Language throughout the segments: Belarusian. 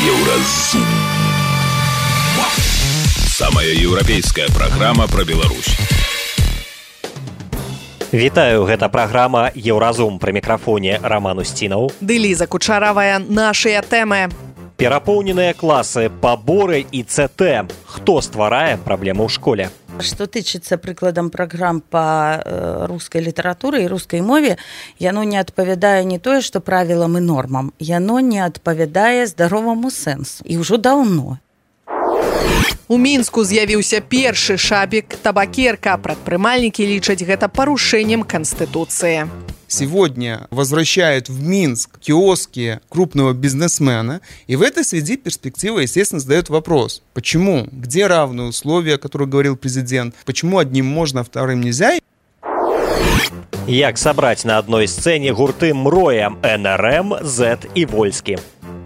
Еўразум. Самая еўрапейская праграма пра Беларусь. Вітаю, гэта праграма «Еўразум». Пры мікрафоне Роман Устінаў. Ды Ліза Кучаравая. Нашыя тэмы. Перапоўненыя класы, паборы і ЦТ. Хто стварае праблемы ў школе? Што тычыцца прыкладам праграм па рускай літаратуры і рускай мове, яно не адпавядае не тое, што правілам і нормам, яно не адпавядае здароваму сэнсу. І ўжо даўно. У Мінску з'явіўся першы шапік-табакерка. Прадпрымальнікі лічаць гэта парушэннем Конституции. Сегодня возвращают в Минск киоски крупного бизнесмена, и в этой связи перспектива, естественно, задает вопрос. Почему? Где равные условия, о которых говорил президент? Почему одним можно, а вторым нельзя? Як сабраць на адной сцэне гурты «Мроя», НРМ, Z і Вольскі.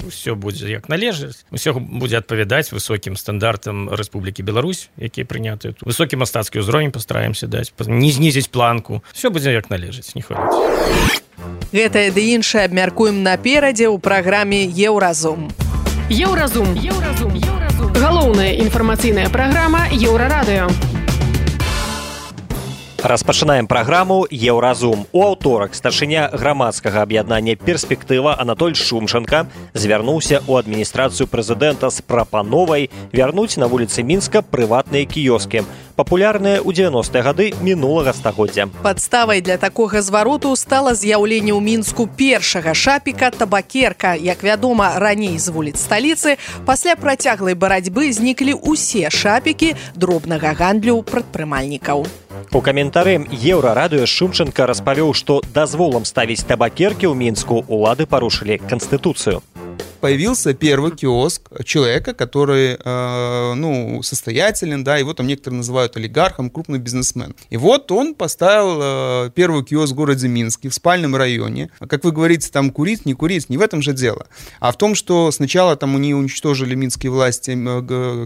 Усё будзе як належыць, усё будзе адпавядаць высокім стандартам Рэспублікі Беларусь, якія прынятыя тут. Высокі мастацкі ўзровень пастараемся даць, не знізіць планку. Усё будзе як належыць, не хвалюйся. Гэтае ды іншае абмяркуем наперадзе ў праграме «Еўразум». Еўразум. Галоўная інфармацыйная праграма Еўрарадыё. Распачынаем праграму «Еўразум». У аўторак старшыня грамадскага аб'яднання «Перспектыва» Анатоль Шумченко звярнуўся ў адміністрацыю прэзідэнта з прапановай вярнуць на вуліцы Мінска прыватныя кіёскі, папулярныя ў 90-е гады мінулага стагоддзя. Падставай для такога звароту стала з'яўленне ў Мінску першага шапіка-табакерка. Як вядома, раней з вуліц сталіцы пасля працяглай барацьбы зніклі ўсе шапікі дробнага гандлю прадпрымальнікаў. У каментары Еўрарадыё Шумченко распавёў, што дазволам ставіць табакеркі ў Мінску улады парушылі Конституцию. Появился первый киоск человека, который, состоятелен, да, его там некоторые называют олигархом, крупный бизнесмен. И вот он поставил первый киоск в городе Минске, в спальном районе. Как вы говорите, там курить, не в этом же дело. А в том, что сначала там они уничтожили минские власти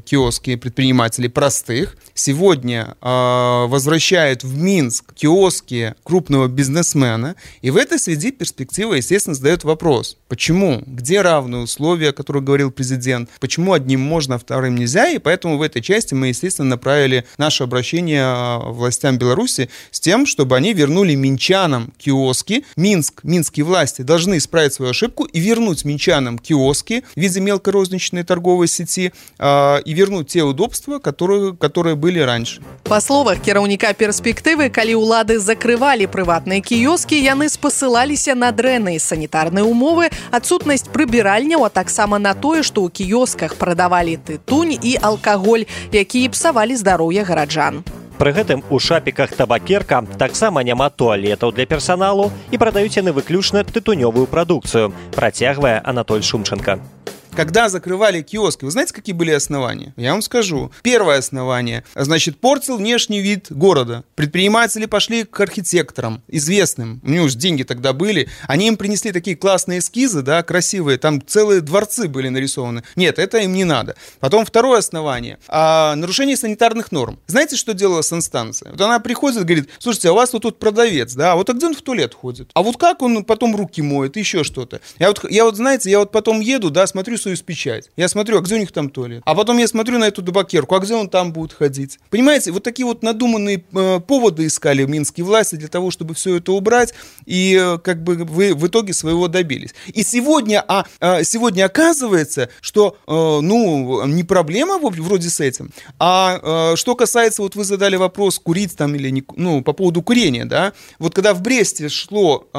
киоски предпринимателей простых. Сегодня возвращают в Минск киоски крупного бизнесмена. И в этой связи перспектива, естественно, задает вопрос. Почему? Где равные условия, о которых говорил президент? Почему одним можно, а вторым нельзя? И поэтому в этой части мы, естественно, направили наше обращение властям Беларуси с тем, чтобы они вернули минчанам киоски. Минские власти должны исправить свою ошибку и вернуть минчанам киоски в виде мелкорозничной торговой сети и вернуть те удобства, которые были раньше. Па словах кіраўніка перспектывы, калі ўлады закрывалі прыватныя кіёскі, яны спасылаліся на дрэнныя санітарныя умовы, адсутнасць прыбіральняў, а таксама на тое, што ў кіёсках прадавалі тытунь і алкаголь, якія псавалі здароўе гараджан. Пры гэтым у шапіках табакерка таксама няма туалетаў для персаналу і прадаюць яны выключна тытунёвую прадукцыю, працягвае Анатоль Шумченко. Когда закрывали киоски, вы знаете, какие были основания? Я вам скажу. Первое основание, портил внешний вид города. Предприниматели пошли к архитекторам, известным, у них уже деньги тогда были, они им принесли такие классные эскизы, да, красивые, там целые дворцы были нарисованы. Нет, это им не надо. Потом второе основание, нарушение санитарных норм. Знаете, что делала санстанция? Вот она приходит и говорит: слушайте, а у вас тут продавец, да, вот где он в туалет ходит? А вот как он потом руки моет, еще что-то? Я потом еду, да, смотрю печать. Я смотрю, а где у них там туалет? А потом я смотрю на эту табакерку, а где он там будет ходить? Понимаете, вот такие вот надуманные поводы искали минские власти для того, чтобы все это убрать, и как бы вы в итоге своего добились. И сегодня оказывается, что, не проблема вроде с этим, а что касается, вот вы задали вопрос, курить там или не, по поводу курения, да, вот когда в Бресте шло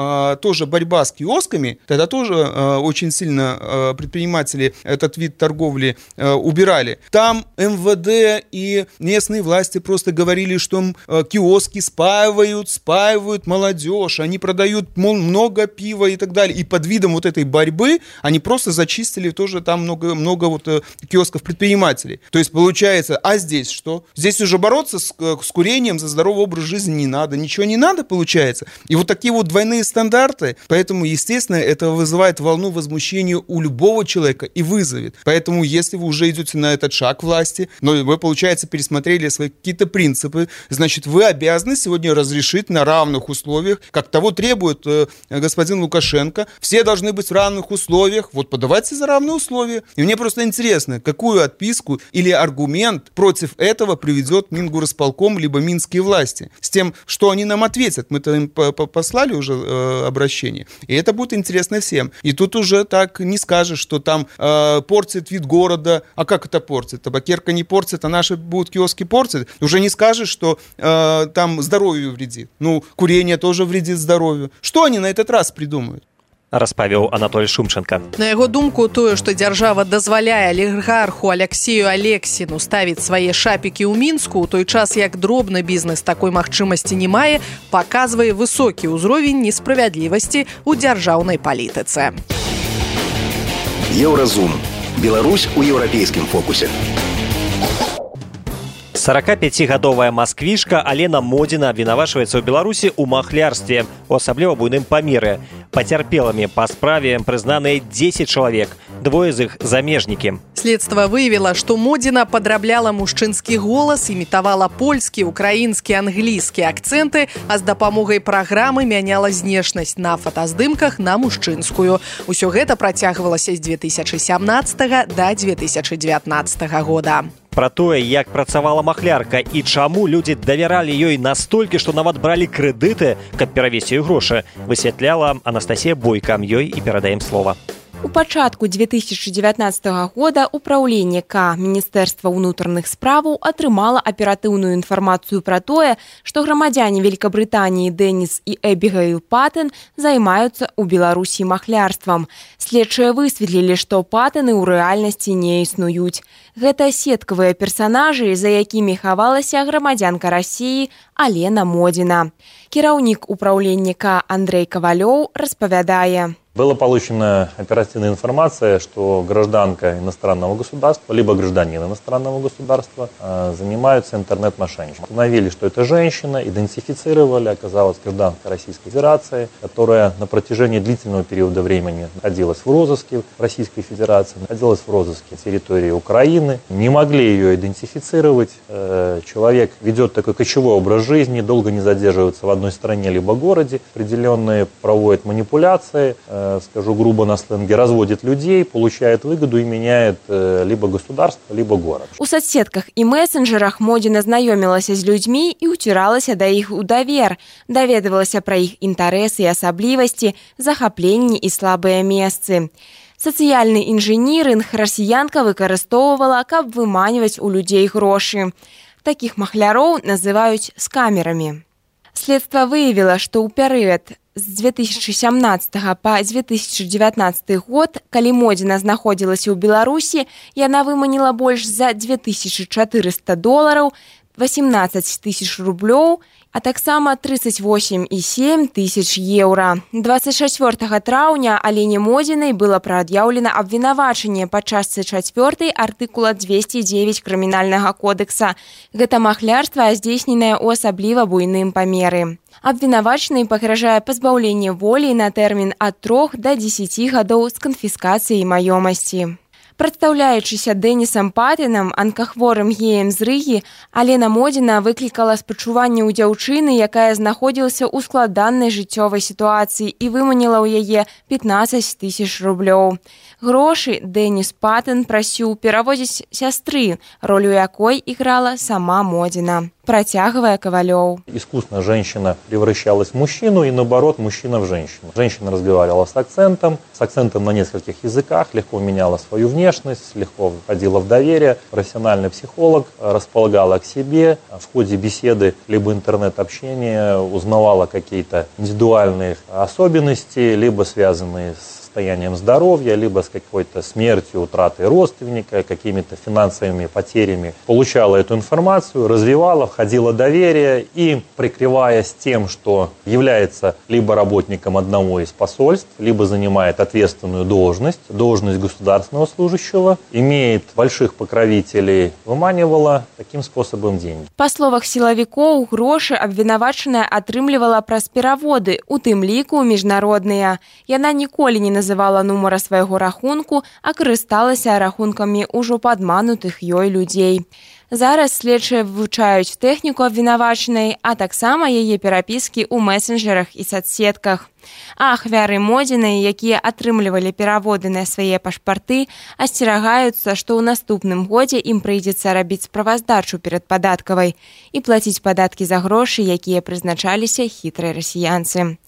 тоже борьба с киосками, тогда тоже очень сильно предприниматели этот вид торговли убирали. Там МВД и местные власти просто говорили, что киоски спаивают молодежь, они продают много пива и так далее. И под видом вот этой борьбы они просто зачистили тоже там много вот киосков предпринимателей. То есть получается, а здесь что? Здесь уже бороться с курением за здоровый образ жизни не надо, ничего не надо, получается. И вот такие вот двойные стандарты, поэтому, естественно, это вызывает волну возмущения у любого человека, человека и вызовет. Поэтому, если вы уже идете на этот шаг власти, но вы, получается, пересмотрели свои какие-то принципы, значит, вы обязаны сегодня разрешить на равных условиях, как того требует господин Лукашенко. Все должны быть в равных условиях. Вот подавайте за равные условия. И мне просто интересно, какую отписку или аргумент против этого приведет Мингорисполком либо минские власти. С тем, что они нам ответят. Мы-то им послали уже обращение. И это будет интересно всем. И тут уже так не скажешь, что там портит вид города. А как это портит? Табакерка не портит, а наши будут киоски портить. Уже не скажешь, что там здоровью вредит. Ну, курение тоже вредит здоровью. Что они на этот раз придумают? Распавёў Анатоль Шумченко. На яго думку, тое, што дзяржава дазваляе алігарху Алексею Алексіну ставіць свае шапікі ў Мінску, у той час як дробны бізнес такой магчымасці не мае, паказвае высокі ўзровень несправядлівасці ў дзяржаўнай палітыцы. Еўразум. Беларусь у еўрапейскім фокусе. 45-гадовая масквішка Алена Модзіна абвінавачваецца ў Беларусі ў махлярстве, у асабліва буйным памеры. Пацярпелымі па справе прызнаныя 10 чалавек, двое з іх замежнікі. Следства выявіла, што Модзіна падрабляла мужчынскі голас, імітавала польскі, украінскі, англійскі акцэнты, а з дапамогай праграмы мяняла знешнасць на фотаздымках на мужчынскую. Усё гэта працягвалася з 2017 да 2019 года. Пра тое, як працавала махлярка і чаму людзі давяралі ёй настолькі, што нават бралі крэдыты, каб перавесці ёй грошы, высвятляла Анастасія Бойка. Ёй і перадаем слова. У пачатку 2019 года ўпраўленне К Міністэрства ўнутраных справаў атрымала аператыўную інфармацыю пра тое, што грамадзяне Великабрытаніі Дэніс і Эбігейл Паттен займаюцца ў Беларусі махлярствам. Следчыя высветлілі, што паттены ў рэальнасці не існуюць. Гэта сеткавыя персанажы, за якімі хавалася грамадзянка Расіі Алена Модзіна. Кіраўнік ўпраўлення К Андрей Ковалёў распавядае. Была получена оперативная информация, что гражданка иностранного государства, либо гражданин иностранного государства занимаются интернет-мошенничеством. Установили, что это женщина, идентифицировали, оказалась гражданка Российской Федерации, которая на протяжении длительного периода времени находилась в розыске в Российской Федерации, находилась в розыске территории Украины. Не могли ее идентифицировать. Человек ведет такой кочевой образ жизни, долго не задерживается в одной стране либо городе, определенные проводят манипуляции, скажу грубо на сленге, разводит людей, получает выгоду и меняет либо государство, либо город. У соцсетках і месенджерах Модзіна знаёмілася з людзьмі і ўціралася да іх у давер, даведавалася пра іх інтарэсы і асаблівасці, захапленні і слабыя месцы. Сацыяльны інжынірынг расіянка выкарыстоўвала, каб выманьваць у людзей грошы. Такіх махляроў называюць скамерамі. Следства выявіла, што ў перыяд з 2017 па 2019 год, калі Модзіна знаходзілася ў Беларусі, яна выманіла больш за $2400, 18 тысяч рублёў, а таксама 38,7 тысяч еўра. 24 траўня Алене Модзінай было прад'яўлена абвінавачанне па частцы 4 артыкула 209 крымінальнага кодекса. Гэта махлярства, здзейсненае ў асабліва буйным памеры. Абвінавачанай пагражае пазбаўленне волі на тэрмін ад 3 да 10 гадоў з канфіскацыяй маёмасці. Прадстаўляючыся Дэнісам Паттенам, анкахворым геем з Рыгі, Алена Модзіна выклікала спачуванне ў дзяўчыны, якая знаходзілася ў складанай жыццёвай сітуацыі і выманіла ў яе 15 тысяч рублёў. Грошы Дэніс Паттен прасіў перавозіць сястры, ролю якой іграла сама Модзіна. Протягивая Ковалёв. Искусственно женщина превращалась в мужчину и наоборот мужчина в женщину. Женщина разговаривала с акцентом на нескольких языках, легко меняла свою внешность, легко входила в доверие. Профессиональный психолог располагала к себе. В ходе беседы либо интернет-общения узнавала какие-то индивидуальные особенности, либо связанные с состоянием здоровья, либо с какой-то смертью, утратой родственника, какими-то финансовыми потерями. Получала эту информацию, развивала, входила в доверие и, прикрываясь тем, что является либо работником одного из посольств, либо занимает ответственную должность государственного служащего, имеет больших покровителей, выманивала таким способом деньги. Па словах сілавікоў, грошы абвінавачаная атрымлівала праз пераводы, у тым ліку міжнародныя. Яна ніколі не называла называла нумара свайго рахунку, а карысталася рахункамі ўжо падманутых ёй людзей. Зараз следчыя вывучаюць тэхніку абвінавачанай, а таксама яе перапіскі ў месенджерах і соцсетках. А ахвяры Модзінай, якія атрымлівалі пераводы на свае пашпарты, асцерагаюцца, што ў наступным годзе ім прыйдзецца рабіць справаздачу перад падаткавай і плаціць падаткі за грошы, якія прызначаліся хітрай расіянцы.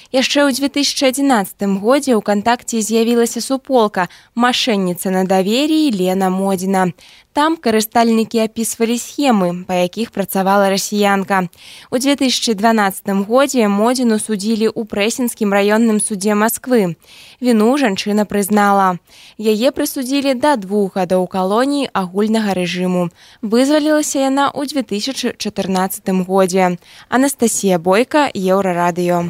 Яшчэ ў 2011 годзе ў кантакце з'явілася суполка «Машэнніца на давер'і» Лена Модзіна. Там карыстальнікі апісвалі схемы, па якіх працавала расіянка. У 2012 годзе Модзіну судзілі ў Прэсінскім раённым судзе Масквы. Віну жанчына прызнала. Яе прысудзілі да 2 гадоў калоніі агульнага рэжыму. Вызвалілася яна ў 2014 годзе. Анастасія Бойка, Еўрарадыё.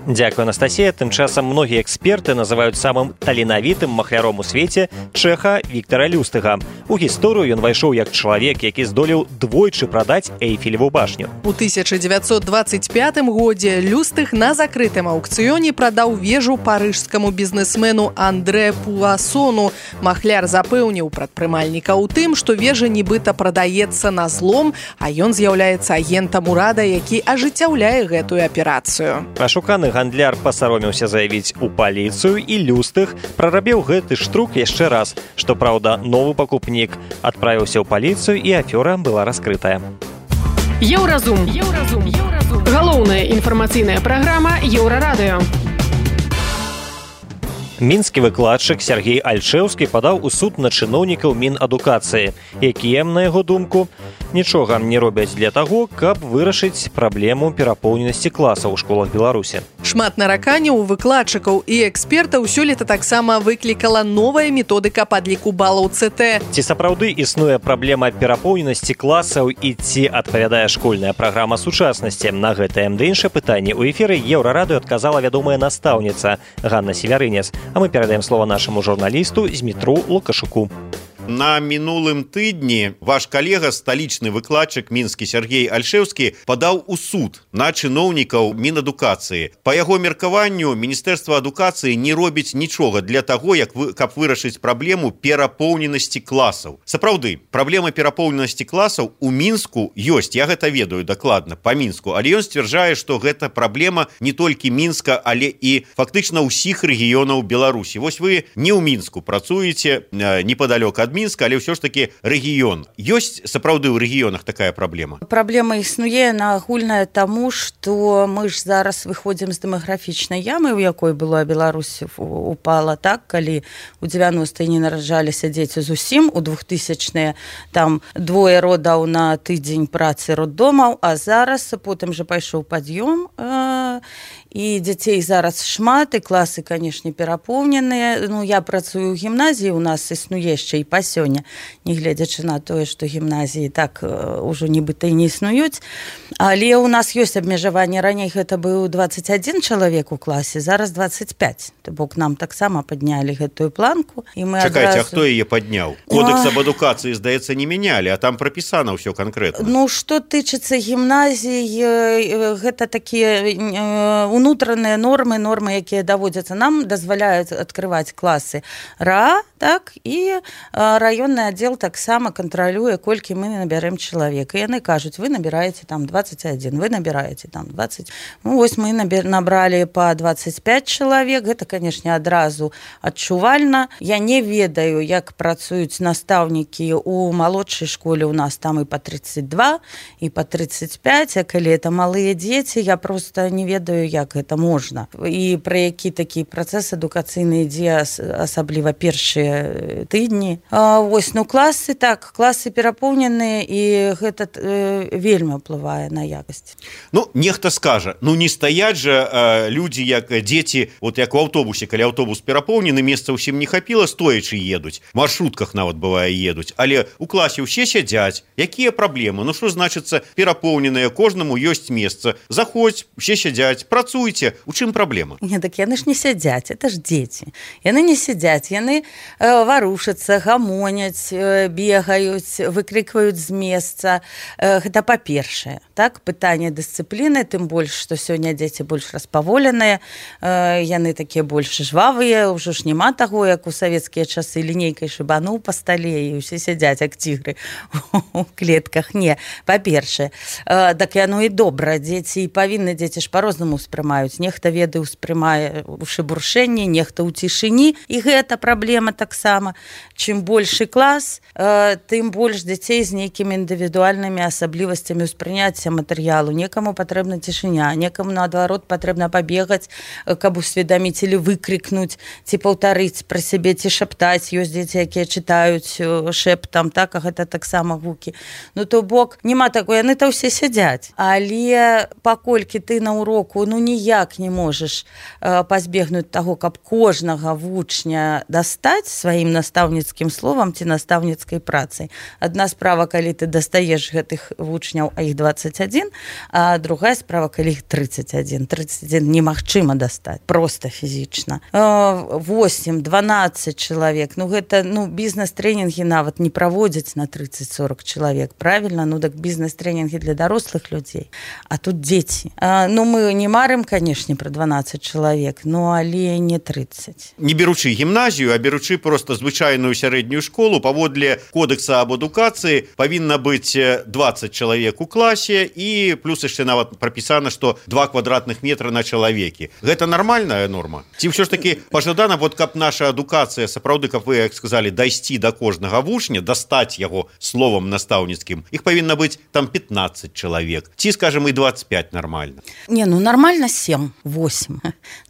Дзякуй, Анастасія. Тым часам многія эксперты называюць самым таленавітым махляром у свеце чэха Віктара Люстыга. У гісторыю ён вайшоў як чалавек, які здолеў двойчы прадаць Эйфелеву башню. У 1925 годзе Люстыг на закрытым аукцыёне прадаў вежу парыжскаму бізнесмену Андре Пуассону. Махляр запэўніў прадпрымальніка ў тым, што вежа нібыта прадаецца на злом, а ён з'яўляецца агентам урада, які ажыццяўляе гэтую аперацыю. Ашуканы гандляр пасаромеўся заявіць у паліцыю, і Люстыг прарабіў гэты штрук яшчэ раз. Што праўда, новы пакупнік адправіўся ў паліцыю, і афера была раскрытая. Еўразум. Галоўная інфармацыйная праграма Еўрарадыё. Мінскі выкладчык Сергей Альшэўскі падаў у суд на чыноўнікаў Мінадукацыі, якія, на яго думку, нічога не робяць для таго, каб вырашыць праблему перапоўненасці класаў у школах Беларусі. Шмат нараканняў у выкладчыкаў і экспертаў сёлета таксама выклікала новая методыка падліку балаў ЦТ. Ці сапраўды існуе праблема перапоўненасці класаў і ці адпавядае школьная праграма сучаснасці? На гэтае ды іншае пытанне ў эфіры Еўрарадыё адказала вядомая настаўніца Ганна Севярынец. А мы перадаем слово нашаму журналісту Змітру Лукашуку. На мінулым тыдні ваш калега, сталічны выкладчык мінскі Сергей Альшэўскі, падаў у суд на чыноўнікаў Мінадукацыі. Па яго меркаванню, Міністэрства адукацыі не робіць нічога для таго, каб вырашыць праблему перапоўненасці класаў. Сапраўды, праблема перапоўненасці класаў у Мінску ёсць, я гэта ведаю дакладна, па Мінску, але ён сцвярджае, што гэта праблема не толькі Мінска, але і фактычна ўсіх рэгіёнаў Беларусі. Вось вы не ў Мінску працуеце, непадалёк ад Мінска, але ўсё ж такі рэгіён. Ёсць сапраўды ў рэгіёнах такая праблема? Праблема існуе, яна агульная таму, што мы ж зараз выходзім з дэмаграфічнай ямы, у якой была Беларусь упала, так, калі у 90-е не нараджаліся дзеці зусім, у 2000-е там 2 родаў на тыдзень працы роддомаў, а зараз потым жа пайшоў пад'ём, і дзяцей зараз шмат, і класы, канешне, перапоўненыя. Ну, я працую ў гімназіі, у нас існуе яшчэ і па сёння, нягледзячы на тое, што гімназіі так ужо нібыта і не існуюць. Але ў нас ёсць абмежаванне. Раней гэта быў 21 чалавек у класе, зараз 25. То бок нам таксама паднялі гэтую планку. І мы Чакайце, а хто яе падняў? Кодекс аб адукацыі, здаецца, не мянялі, а там прапісана ўсё канкрэтна. Ну, што тычыцца гімназій, гэта такія унутраныя нормы, якія даводзяцца. Нам дазваляюць адкрываць класы РА, так, і раённы аддзел таксама кантралюе, колькі мы набярэм чалавек. І яны кажуць, вы набіраеце там 21, вы набіраеце там 20. Ну, вось мы набралі па 25 чалавек, гэта, канешне, адразу адчувальна. Я не ведаю, як працуюць настаўнікі у малодшай школе, у нас там і па 32, і па 35, а калі это малыя дзеці, я просто не ведаю, як гэта можна. І пра які такі працэс адукацыйны ідзе, асабліва першыя тыдні. Вось, ну, класы, так, класы перапоўненыя, і гэта вельмі ўплывае на якасць. Ну, нехта скажа, ну, не стаяць жа людзі, як дзеці, вот як у аўтобусе, калі аўтобус перапоўнены, месца ўсім не хапіла, стоячы едуць, в маршрутках нават бывае едуць, але у класе ўсе сядзяць. Якія праблемы? Ну, што значыцца перапоўненыя, кожнаму ёсць месца. Заходзь, усе сядзяць, працуйце. У чым праблема? Не, так яны ж не сядзяць, это ж дзеці. Яны не сядзяць, яны варушацца, гамоняць, гамоняць, бегаюць, выкрикваюць з месца. Гэта па-першае. Так, пытанне дысцыпліны, тым больш, што сёння дзеці больш распаволеныя, яны такія больш жвавыя, ўжо ж няма таго, як у савецкія часы лінейкай шыбануў па стале і ўсе сядзяць, як цігры у клетках. Не, па-першае. Так яно і добра. Дзеці павінны, дзеці ж па-рознаму ўспрымаюць. Нехта веды ўспрымае ў шыбуршэнні, нехта ў цішыні, і гэта праблема таксама. Чым большы клас, тым больш дзяцей з нейкімі індывідуальнымі асаблівасцямі ўспрыняцця матэрыялу. Некаму патрэбна цішыня, некаму, наадварот, патрэбна пабегаць, каб усведаміць или выкрикнуць, ці паўтарыць пра сябе, ці шаптаць. Ёсць дзеці, якія чытаюць шэптам, так, а гэта таксама гукі. Ну, то бок, няма такое, яны-то ўсе сядзяць. Але паколькі ты на уроку, ну, ніяк не можаш пазбегнуць таго, каб кожнага вучня дастаць сваім настаўніцкім словам ці настаўніцкай працай. Адна справа, калі ты дастаеш гэтых вучняў, а іх 21, а другая справа, калі іх 31. 31 немагчыма дастаць, проста фізічна. 8-12 чалавек, ну гэта, ну, бізнес-трэнінгі нават не праводзяць на 30-40 чалавек, правильно? Ну так бізнес-трэнінгі для дарослых людзей, а тут дзеці. Ну мы не марым, канешне, пра 12 чалавек, ну але не 30. Не беручы гімназію, а беручы просто звычайную сярэднюю школу, паводле кодекса аб адукацыі павінна быць 20 чалавек у класе, і плюс яшчэ нават прапісана, што 2 квадратных метра на чалавекі. Гэта нармальная норма? Ці ўсё ж таки пажадана, вот каб наша адукацыя, сапраўды, каб вы, як сказалі, дайсці да кожнага вучня, дастаць яго словам настаўніцкім, іх павінна быць там 15 чалавек. Ці, скажем, і 25 нормально? Не, ну нормально 7, 8,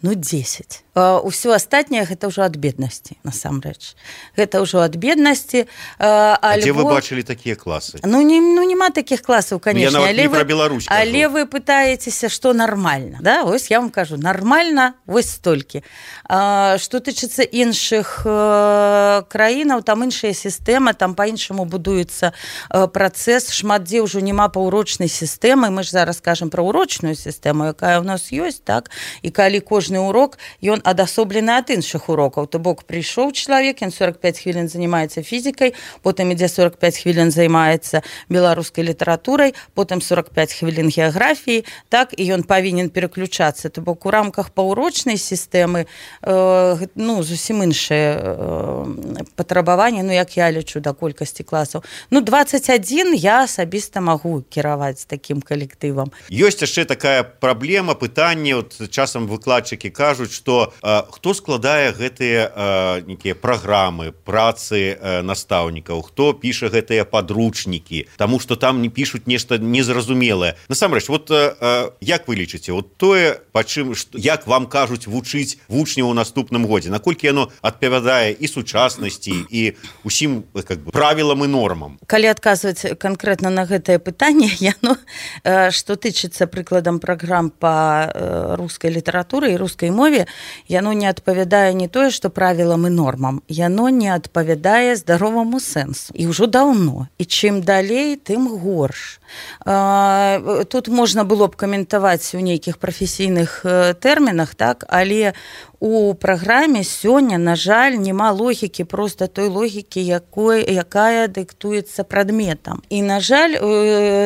ну 10. Усё астатняе гэта ўжо ад беднасці, насамрэч. Гэта ўжо ад беднасці. А дзе вы бачылі такія класы? Ну няма такіх класаў, канешне. Я нават не пра Беларусь кажу. Але вы пытаецеся, што нармальна. Да? Вось я вам кажу, нармальна вось столькі. Што тычыцца іншых краінаў, там іншая сістэма, там па-іншаму будуецца працэс. Шмат дзе ўжо няма паўурочнай сістэмы. Мы ж зараз кажам пра урочную сістэму, якая ў нас ёсць, так? І калі кожны урок, ён адасоблены ад іншых урокаў. То бок прыйшоў чалавек, ён 45 хвілін займаецца фізікай, потым ідзе 45 хвілін займаецца беларускай літаратурай, потым 45 хвілін геаграфіі, так, і ён павінен пераключацца. То бок у рамках паўурочнай сістэмы, ну, зусім іншыя патрабаванні, ну, як я лічу, да колькасці класаў. Ну, 21 я асабіста магу кіраваць такім калектывам. Ёсць яшчэ такая праблема, пытанне, от часам выкладчыкі кажуць, што хто складае гэтыя нейкія праграмы, працы настаўнікаў, хто піша гэтыя падручнікі, таму што там не пішуць нешта незразумелае. Насамрэч, вот як вы лічыце, вот тое, як вам кажуць вучыць вучняў у наступным годзе, наколькі яно адпавядае і сучаснасці, і усім как бы правілам і нормам? Калі адказваць канкрэтна на гэтае пытанне, яно, што тычыцца прыкладам праграм па рускай літаратуры і рускай мове, яно не адпавядае не тое, што правілам і нормам, яно не адпавядае здароваму сэнсу. І ўжо даўно. І чым далей, тым горш. Тут можна было б каментаваць у нейкіх прафесійных тэрмінах, так, але у праграме сёння, на жаль, няма логікі, проста той логікі, якая дыктуецца прадметам. І, на жаль,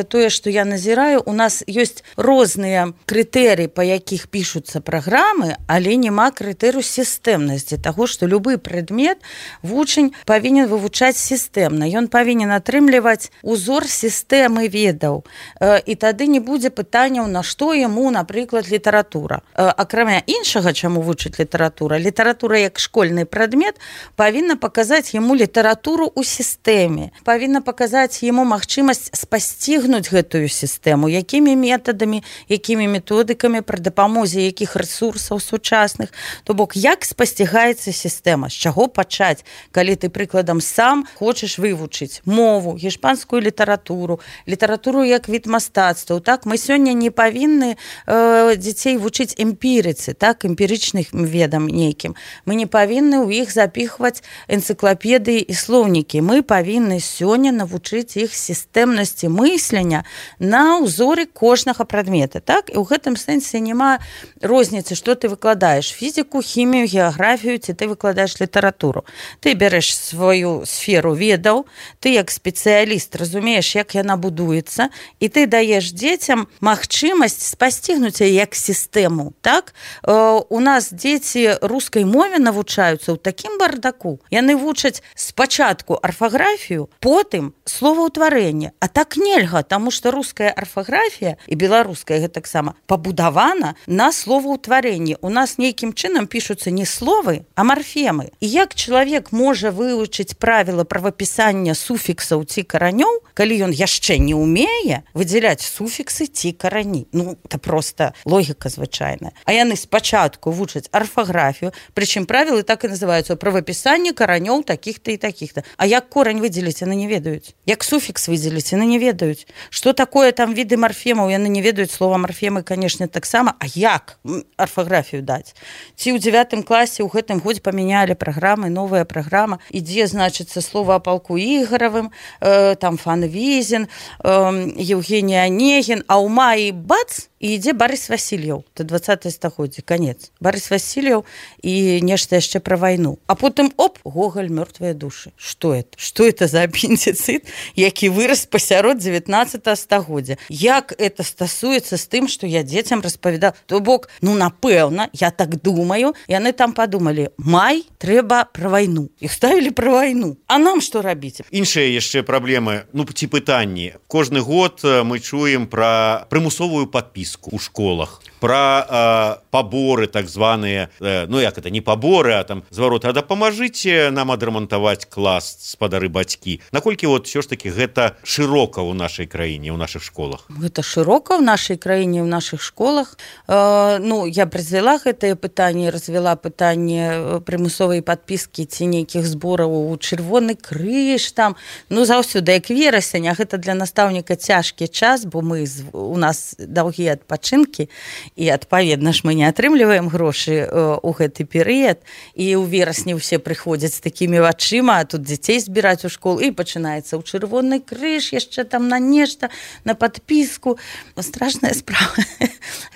тое, што я назіраю, у нас ёсць розныя крытэрыі, па якіх пішуцца праграмы, але няма крытэрыю сістэмнасці таго, што любы прадмет вучань павінен вывучаць сістэмна. Ён павінен атрымліваць узор сістэмы ведаў. І тады не будзе пытанняў, на што яму, напрыклад, літаратура. Акрамя іншага, чаму вучыць літаратура. Літаратура як школьны прадмет павінна паказаць яму літаратуру ў сістэме. Павінна паказаць яму магчымасць спасцігнуць гэтую сістэму, якімі метадамі, якімі методыкамі, пры дапамозе якіх рэсурсаў сучасных. То бок, як спасцігаецца сістэма, з чаго пачаць, калі ты, прыкладам, сам хочаш вывучыць мову, іспанскую літаратуру, літаратуру як від мастацтваў. Так, мы сёння не павінны дзяцей вучыць эмпірыцы, так, эмпірычных ведам нейкім, мы не павінны ў іх запіхваць энцыклапедыі і слоўнікі. Мы павінны сёння навучыць іх сістэмнасці мыслення на ўзоры кожнага прадмета. Так? І ў гэтым сэнсе няма розніцы, што ты выкладаеш: фізіку, хімію, геаграфію, ці ты выкладаеш літаратуру. Ты бярэш сваю сферу ведаў, ты як спецыяліст разумееш, як яна будуецца, і ты даеш дзецям магчымасць спасцігнуць яе як сістэму. Так? У нас дзеці рускай мове навучаюцца ў такім бардаку. Яны вучаць спачатку арфаграфію, потым словаўтварэнне. А так нельга, таму што руская арфаграфія і беларуская гэтаксама пабудавана на словаўтварэнні. У нас нейкім чынам пішуцца не словы, а марфемы. І як чалавек можа вывучыць правіла правапісання суфіксаў ці каранёў, калі ён яшчэ не ўмее выдзяляць суфіксы ці карані? Ну, это просто логіка звычайная. А яны спачатку вучаць арфаграфію, прычым правілы так і называюцца: правапісанне каранёў такіх-то і такіх-то. А як корань выдзеліць, яны не ведаюць. Як суфікс выдзеліць, яны не ведаюць. Што такое там віды марфемаў, яны не ведаюць. Слова марфемы, канешне, таксама. А як арфаграфію даць? Ці ў 9 класе ў гэтым годзе памянялі праграмы, новая праграма, ідзе, значыцца, слова о палку Ігоравым, там Фанвізін, Евгений Онегін, а ў маі бац, і ідзе Барыс Васильев. Это 20-е стагоддзе, конец. Барыс Васильев і нешта яшчэ пра вайну. А потым, оп, Гоголь, мёртвыя душы. Што это? Што это за апендицит, які вырас пасярод 19-го стагоддзя? Як это стасуецца з тым, што я дзецям распавядаў? То бок, ну, напэўна, я так думаю, яны там падумалі: май, трэба пра вайну. Іх ставілі пра вайну. А нам што рабіць? Іншыя яшчэ праблемы, ну, ці пытанні. Кожны год мы чуем пра прымусовую падпіску у школах, пра паборы так званыя, ну як это, не паборы, а там звароты: а дапамажыце нам адрамантаваць клас, спадары бацькі. Наколькі вот ўсё ж таки гэта шырока ў нашай краіне, ў нашых школах? Гэта шырока ў нашай краіне, ў нашых школах. Ну, я развяла гэтае пытанне, развяла пытанне прымусовай падпіскі ці нейкіх збораў у Чырвоны крыж там. Ну, заўсёды, як верасень, а гэта для настаўніка цяжкі час, бо у нас даўгія адпачынкі, і адпаведна ж мы не атрымліваем грошы ў гэты перыяд, і ў верасні ўсе прыходзяць з такімі вачыма, а тут дзяцей збіраць у школу, і пачынаецца ў Чырвоны крыж, яшчэ там на нешта, на падпіску. Страшная справа.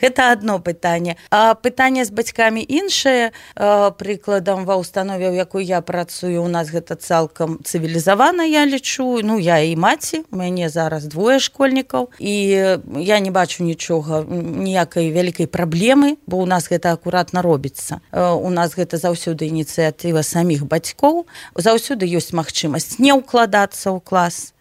Гэта адно пытанне. А пытанне з бацькамі іншае. Прыкладам, ва ўстанове, у якой я працую, у нас гэта цалкам цывілізавана, я лічу. Ну, я і маці, у мяне зараз 2 школьнікаў, і я не бачу нічога, ніякай вялікай праблемы, бо ў нас гэта акуратна робіцца. У нас гэта заўсёды ініцыятыва саміх бацькоў, заўсёды ёсць магчымасць не ўкладацца ў клас,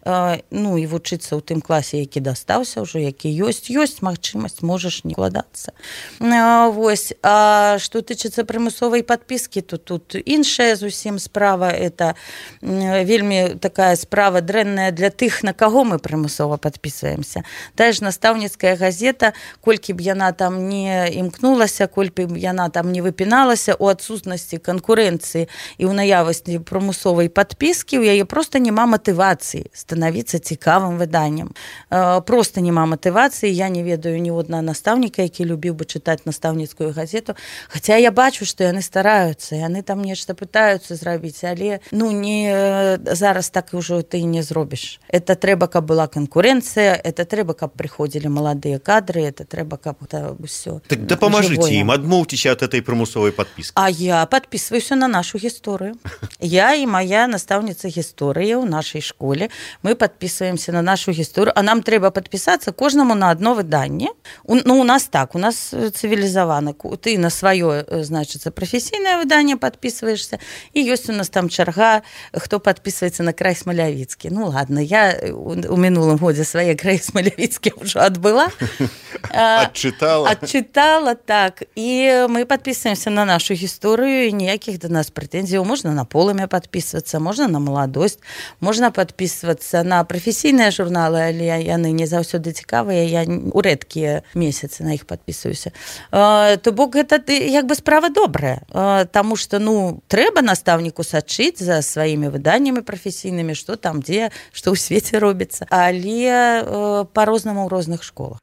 ну, і вучыцца ў тым класе, які дастаўся ўжо, які ёсць магчымасць, можаш не ўкладацца. Вось. А што тычыцца прымусовай падпіскі, то тут іншая зусім справа. Это вельмі такая справа дрэнная для тых, на каго мы прымусова падпісваемся. Тая ж настаўніцкая газета, колькі б яна там не імкнулася, колькі б яна там не выпіналася, у адсутнасці канкурэнцыі і ў наявасці прымусовай падпіскі, у яе проста няма матывацыі становіцца цікавым выданнем. Просто няма матывацыі. Я не ведаю ні одна настаўніка, які любіў бы чытаць настаўніцкую газету. Хаця я бачу, што яны стараюцца, яны там нешта пытаюцца зрабіць, але ну не зараз так ўжо ты не зробіш. Это трэба, каб была канкурэнцыя, это трэба, каб прыходзілі маладыя кадры, это трэба, каб это ўсё. Так дапамажыце ім, адмоўцеся ад этой прымусовай падпіскі. А я падпісваюся на нашу гісторыю. Я і мая настаўніца гісторыі ў нашай школе, мы подписываемся на нашу гісторыю, а нам трэба подпісацца кожнаму на одно выданне. Ну, у нас так, у нас цывілізавана. Ты на сваё, значыцца, прафесійнае выданне подписываешься, і ёсць у нас там чарга, хто подписываецца на край Смалявіцкі. Ну, ладно, я у мінулым годзе свае краі Смалявіцкі ўжо адбыла. Адчытала, так. І мы подписываемся на нашу гісторыю, і ніякіх да нас прэтэнзіяў. Можна на полымя подписывацца, можна на маладосць, можна подписывацца на прафесійныя журналы, але яны не заўсёды цікавыя, я у рэдкія месяцы на іх падпісваюся. То бок гэта як бы справа добрая, таму што ну трэба настаўніку сачыць за сваімі выданнямі прафесійнымі, што там дзе, што ў свеце робіцца, але па-рознаму ў розных школах.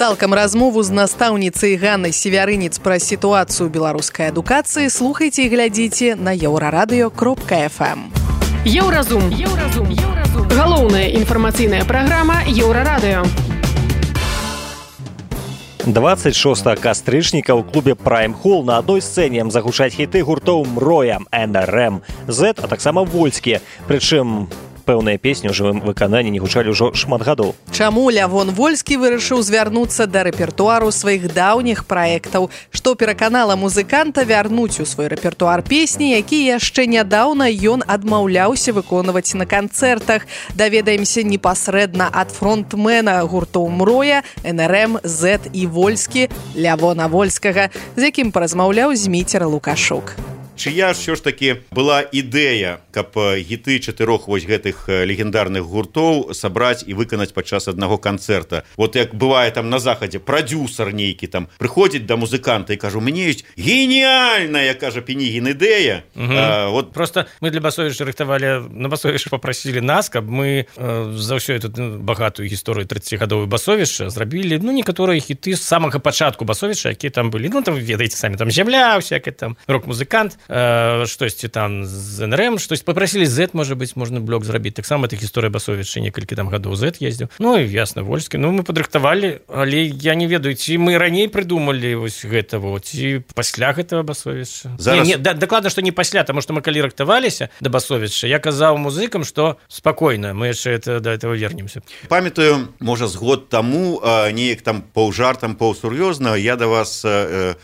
Цалкам размову з настаўніцай Ганнай Севярынец пра сітуацыю беларускай адукацыі слухайце і глядзіце на еўрарадыё.фм. Еўразум. Галоўная інфармацыйная праграма Еўрарадыё. 26 кастрычніка ў клубе Prime Hall на адной сцэне загучаць хіты гуртоў Мроя, НРМ, Z, а таксама Вольскі. Прычым пэўныя песні ў жывым выкананні не гучалі ўжо шмат гадоў. Чаму Лявон Вольскі вырашыў звярнуцца да рэпертуару сваіх даўніх праектаў, што пераканала музыканта вярнуць у свой рэпертуар песні, якія яшчэ нядаўна ён адмаўляўся выконваць на канцэртах. Даведаемся непасрэдна ад фронтмена гуртоў Мроя, НРМ, Z і Вольскі Лявона Вольскага, з якім паразмаўляў Зміцер Лукашук. Чыя ж ж такі была ідэя, каб гіты чатырох вось гэтых легендарных гуртоў сабраць і выканаць падчас аднаго канцэрта. Вот як бывае там на захадзе прадюсар нейкі там прыходзіць да музыканта і кажа: у мяне ёсць геніальная, кажа Пенігін, ідэя. Вот просто мы для Басовіча рыхтавалі, на Басовіча попросілі нас, каб мы за ўсё эту багатую гісторыю 30гадовую Басовіча зрабілі, некаторыя хіты з самага пачатку Басовіча, якія там былі. Там ведаеце самі, там Зямля, всякий там рок-музыкант, штосьці там з НРМ, штось попросілі Z, можа быць, можна блок зрабіць. Таксама тых гісторыя Басовіча некалькі там гадоў Z ездзіў. І ясна, Вольскі. Мы падрыхтавалі, але я не ведаю, ці мы раней прыдумалі вось гэта, ці пасля гэтага Басовіча. Дакладна, што не пасля, таму што мы калі рыхтаваліся да Басовіча, я казаў музыкам, што спакойна, мы яшчэ да этого вернемся. Памятаю, можа, з год таму, неяк там паўжартам, паўсур'ёзна, я да вас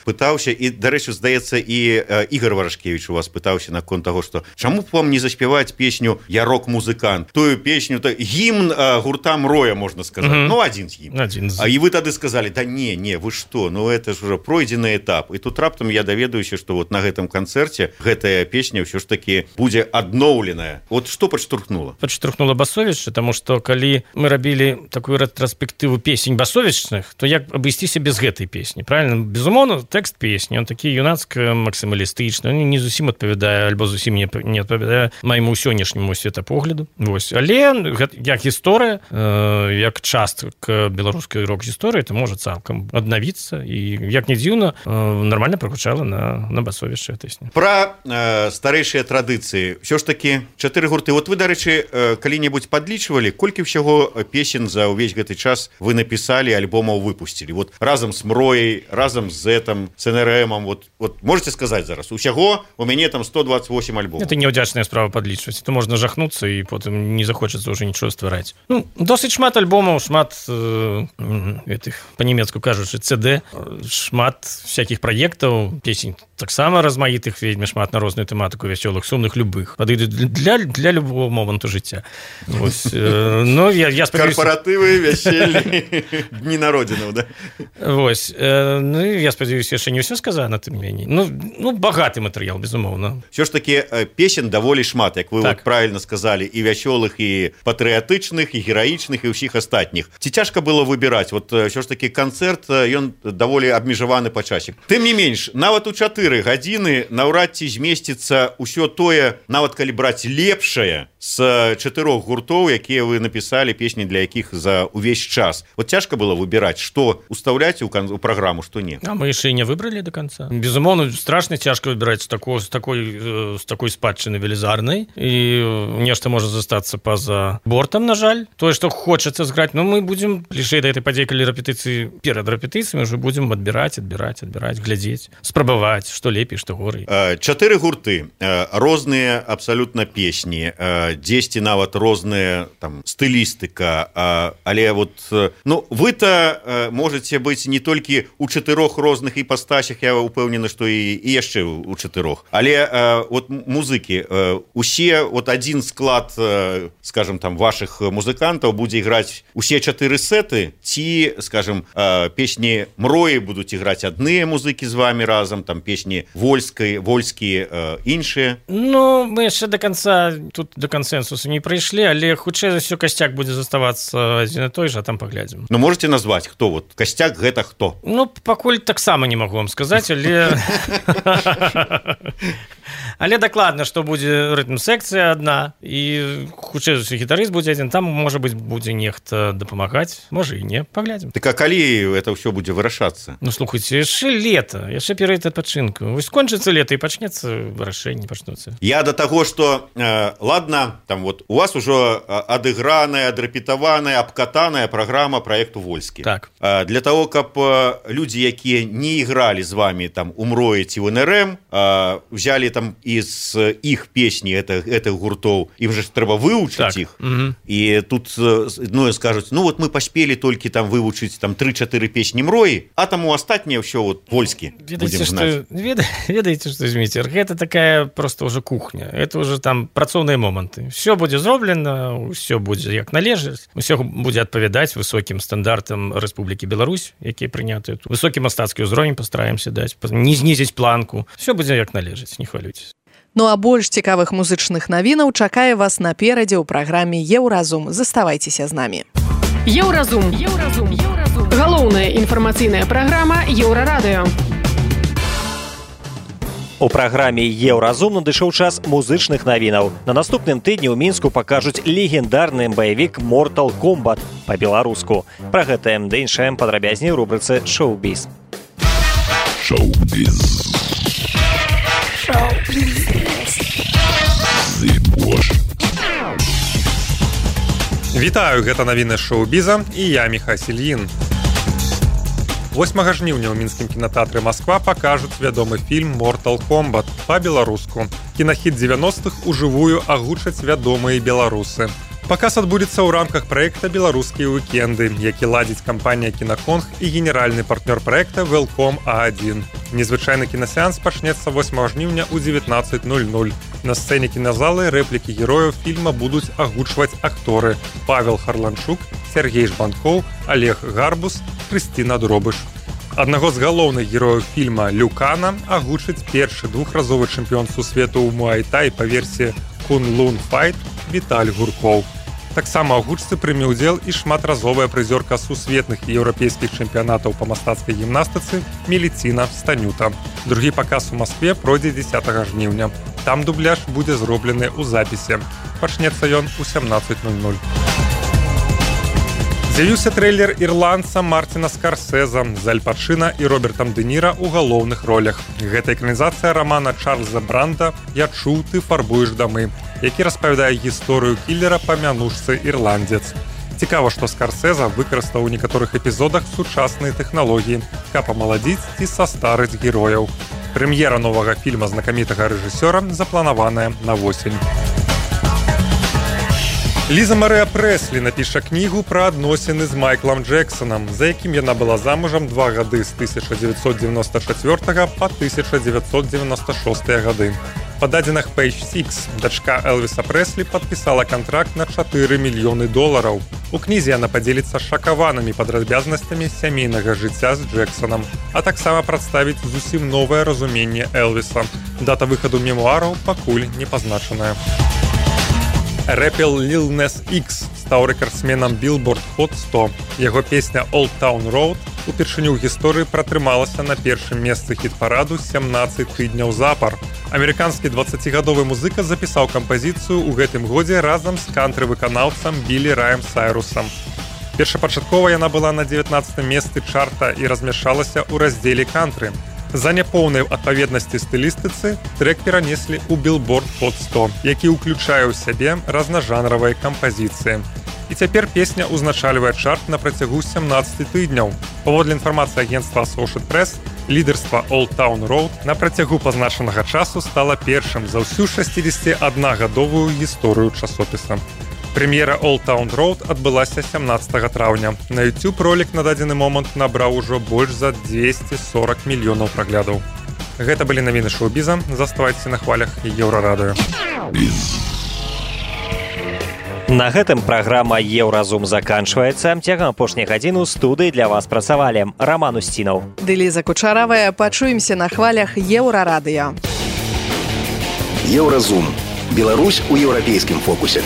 пытаўся, і, дарэчы, здаецца, і Ігор Варашкевіч у вас пытаўся наконт таго, што чаму б вам не заспяваць песню «Я рок-музыкант», тую песню, гімн гурта Мроя, можна сказаць. Адзін з гімн. І вы тады сказалі: да не, вы што, это ж уже пройдзены этап. І тут раптам я даведаюся, што вот на гэтым канцэрце гэтая песня ўсё ж такі будзе адноўленая. Вот што падштурхнула? Падштурхнула Басовіча, таму што калі мы рабілі такую рэтраспектыву песень басовічных, то як абысціся без гэтай песні, правильно? Безумоўна, тэкст песні, он такі юнацка-максімалістычны, не зусім адпавядае, альбо зусім не адпавядае майму сённяшняму светапогляду. Але як гісторыя, як частка беларускай рок-гісторыі, то можа цалкам аднавіцца, і як не дзіўна, нармальна прагучала на Басовіча песня. Пра старэйшыя традыцыі. Ўсё ж такі 4 гурты. Вот вы, дарэчы, калі-небудзь падлічвалі, колькі ўсяго песен за ўвесь гэты час вы напісалі, альбомаў выпусцілі? Вот разам з Мрояй, разам з Z-ам, з НРМ, вот можете сказаць зараз, усяго у мяне там 128 альбомаў. Это неўдзячная справа падлічваць. То можна жахнуцца і потым не захочацца ўжо нічого ствараць. Досыць шмат альбомаў, шмат гэтых, па-нямецку кажучы, CD, шмат всякіх праектаў, песень таксама размаітых вельмі шмат на розную тэматыку, вясёлых, сумных, любых. Падыдуць для любого моманту жыцця. Карпаратывы, вяселлі, дні народзінаў, да? Я спадзяюся, яшчэ не ўсё сказана, тым меней. Багаты матэрыял, безумоўна. Все ж таки песен даволі шмат, як вы правильно сказали, і вясёлых, і патрыятычных, і гераічных, і ўсіх астатніх. Ці цяжка было выбіраць? Вот все ж таки канцэрт, ён даволі абмежаваны па часе. Тым не менш, нават у 4 гадзіны наўрад ці змесціцца ўсё тое, нават калі браць лепшае з 4 гуртоў, якія вы напісалі, песні для якіх за увесь час. Вот цяжка было выбіраць, што уставляць у праграму, што не. А мы яшчэ і не выбралі до конца. Безумоўна, страшна цяжка выбіраць з такой спадчыны велізарнай, і нешта можа застацца па-за бортам, на жаль. Тое, што хочацца зграць, мы будзем бліжэй да этой падзеі, калі рэпетыцыі, перад рэпетыцыямі ўжо будзем адбіраць, глядзець, спрабаваць, што лепей, што горай. 4 гурты, розныя абсалютна песні, дзесьці нават розная там стылістыка, але вот вы-то можете быць не толькі у 4 розных іпастасях, я упэўнены, што і яшчэ у 4. Але вот музыкі, усе, вот адзін склад, скажем, там ваших музыкантаў будзе іграць усе 4 сеты, ці, скажем, песні Мроі будуць іграць адныя музыкі з вами разам, там песні Вольскі, іншыя? Мы яшчэ до конца, тут до кансенсусу не прыйшлі, але хутчэй за ўсё касцяк будзе заставацца адзін і той жа, там паглядзім. Можете назваць, хто вот касцяк, гэта хто? Пакуль таксама не магу вам сказаць, але Але дакладна, што будзе рытм-секцыя адна, і хутчэй гітарыст будзе адзін, там, можа быць, будзе нехта дапамагаць, можа і не, паглядзім. Так а калі это ўсё будзе вырашацца? Ну, слухайце, яшчэ лета, яшчэ перыяд адпачынку. Вось скончыцца лета і пачнецца вырашэнне, пачнуцца. Я да таго, што, ладно, там вот у вас ужо адыграная, адрапетаваная, абкатаная праграма праекту «Вольскі». Так. Для того, каб людзі, якія не ігралі з вами там у МРО ці в НРМ, взяли там из іх песні гэтых гуртоў, ім же трэба вывучыць іх. І тут скажуць, ну вот мы паспелі толькі там вывучыць там 3-4 песні МРОі, а там у астатнія ўсё вот «Вольскі» будзем знаць. Ведаеце, што, Зміцер, гэта такая просто уже кухня, это уже там працоўныя моманты. Все будзе зроблена, все будзе як належыць, все будзе адпавядаць высокім стандартам Рэспублікі Беларусь, якія прынятыя тут. Высокі мастацкі ўзровень пастараемся даць, не знізіць планку. Все будзе як належыць, не хвалюйцеся. Ну а больш цікавых музычных навінаў чакае вас наперадзе ў праграме «Еўразум». Заставайцеся з намі. Еўразум. Галоўная інфармацыйная праграма Еўрарадыё. У праграме «Еўразум» надышоў час музычных навінаў. На наступным тыдні ў Мінску пакажуць легендарны баявік «Mortal Kombat» па-беларуску. Пра гэтае ды іншае падрабязней у рубрыцы «Шоу-біз». Шоу-біз. Вітаю, гэта навіны шоу-біза і я Міхась Ільін. 8 жніўня ў мінскім кінатэатры «Масква» пакажуць вядомы фільм «Mortal Kombat» па-беларуску. Кінахіт 90-х ужывую агучаць вядомыя беларусы. Паказ адбудзецца ў рамках праекта «Беларускія уікенды», які ладзіць кампанія «Кінаконг» і генеральны партнёр праекта «Велком А1». Незвычайны кінасеанс пачнецца 8 жніўня ў 19:00. На сцэне кіназалы рэплікі герояў фільма будуць агучваць акторы Павел Харланчук, Сергей Жбанкоў, Олег Гарбус, Крысціна Дробыш. Аднаго з галоўных герояў фільма Люкана агучыць першы двухразовы чэмпіён сусвету ў муай-тай па версіі Кун-Лун Файт Віталь Гуркоў. Таксама ў гучцы прыме ўдзел і шматразовая прызёрка сусветных і еўрапейскіх чэмпіянатаў па мастацкай гімнастыцы Меліціна Станюта. Другі паказ у Маскве пройдзе 10 жніўня. Там дубляж будзе зроблены ў запісе. Пачнецца ён у 17:00. З'явіўся трэйлер ірландца Мартина Скарсеза з Аль Пачына і Робертам Дэ Ніра ў галоўных ролях. Гэта экранізацыя рамана Чарльза Бранда «Я чуў, ты фарбуеш дамы», які распавядае гісторыю кіллера па мянушцы ірландзец. Цікава, што Скарсеза выкарыстаў у некаторых эпізодах сучасныя тэхналогіі, каб амаладзіць ці састарыць герояў. Прэм'ера новага фільма знакамітага рэжысёра запланаваная на восень. Ліза Марыя Прэслі напіша кнігу пра адносіны з Майклам Джексонам, за якім яна была замужам 2 гады з 1994 па 1996 гады. Па дадзеных Page Six дачка Элвіса Прэслі падпісала кантракт на $4 мільёны. У кнізе яна падзеліцца шакаванымі падрабязнасцямі сямейнага жыцця з Джексонам, а таксама прадставіць зусім новае разуменне Элвіса. Дата выхаду мемуараў пакуль не пазначаная. Рэпер Lil Nas X стаў рэкардсменам Billboard Hot 100. Яго песня «Old Town Road» упершыню ў гісторыі пратрымалася на першым месцы хіт-параду 17 тыдняў запар. Амерыканскі 20-гадовы музыка запісаў кампазіцыю ў гэтым годзе разам з кантры-выканаўцам Білі Раем Сайрусам. Першапачаткова яна была на 19-м месцы чарта і размяшчалася ў раздзеле кантры. За няпоўнай адпаведнасці стылістыцы трэк перанеслі ў Billboard Hot 100, які ўключае ў сябе разнажанравыя кампазіцыі. І цяпер песня ўзначальвае чарт на працягу 17 тыдняў. Паводле інфармацыі агенцтва Associated Press, лідарства Old Town Road на працягу пазначанага часу стала першым за ўсю 61-гадовую гісторыю часопіса. Прэм'ера Old Town Road адбылася 17 траўня. На YouTube ролик на дадзены момант набраў ужо больш за 240 мільёнаў праглядаў. Гэта былі навіны шоу-біза. Заставайцеся на хвалях Еўрарадыё. На гэтым праграма «Еўразум» заканчваецца. Цягам апошняй гадзіны ў студыі для вас працавалі Раман Усцінаў. Ліза Кучаравая. Пачуемся на хвалях Еўрарадыё. Еўразум. Беларусь у еўрапейскім фокусе.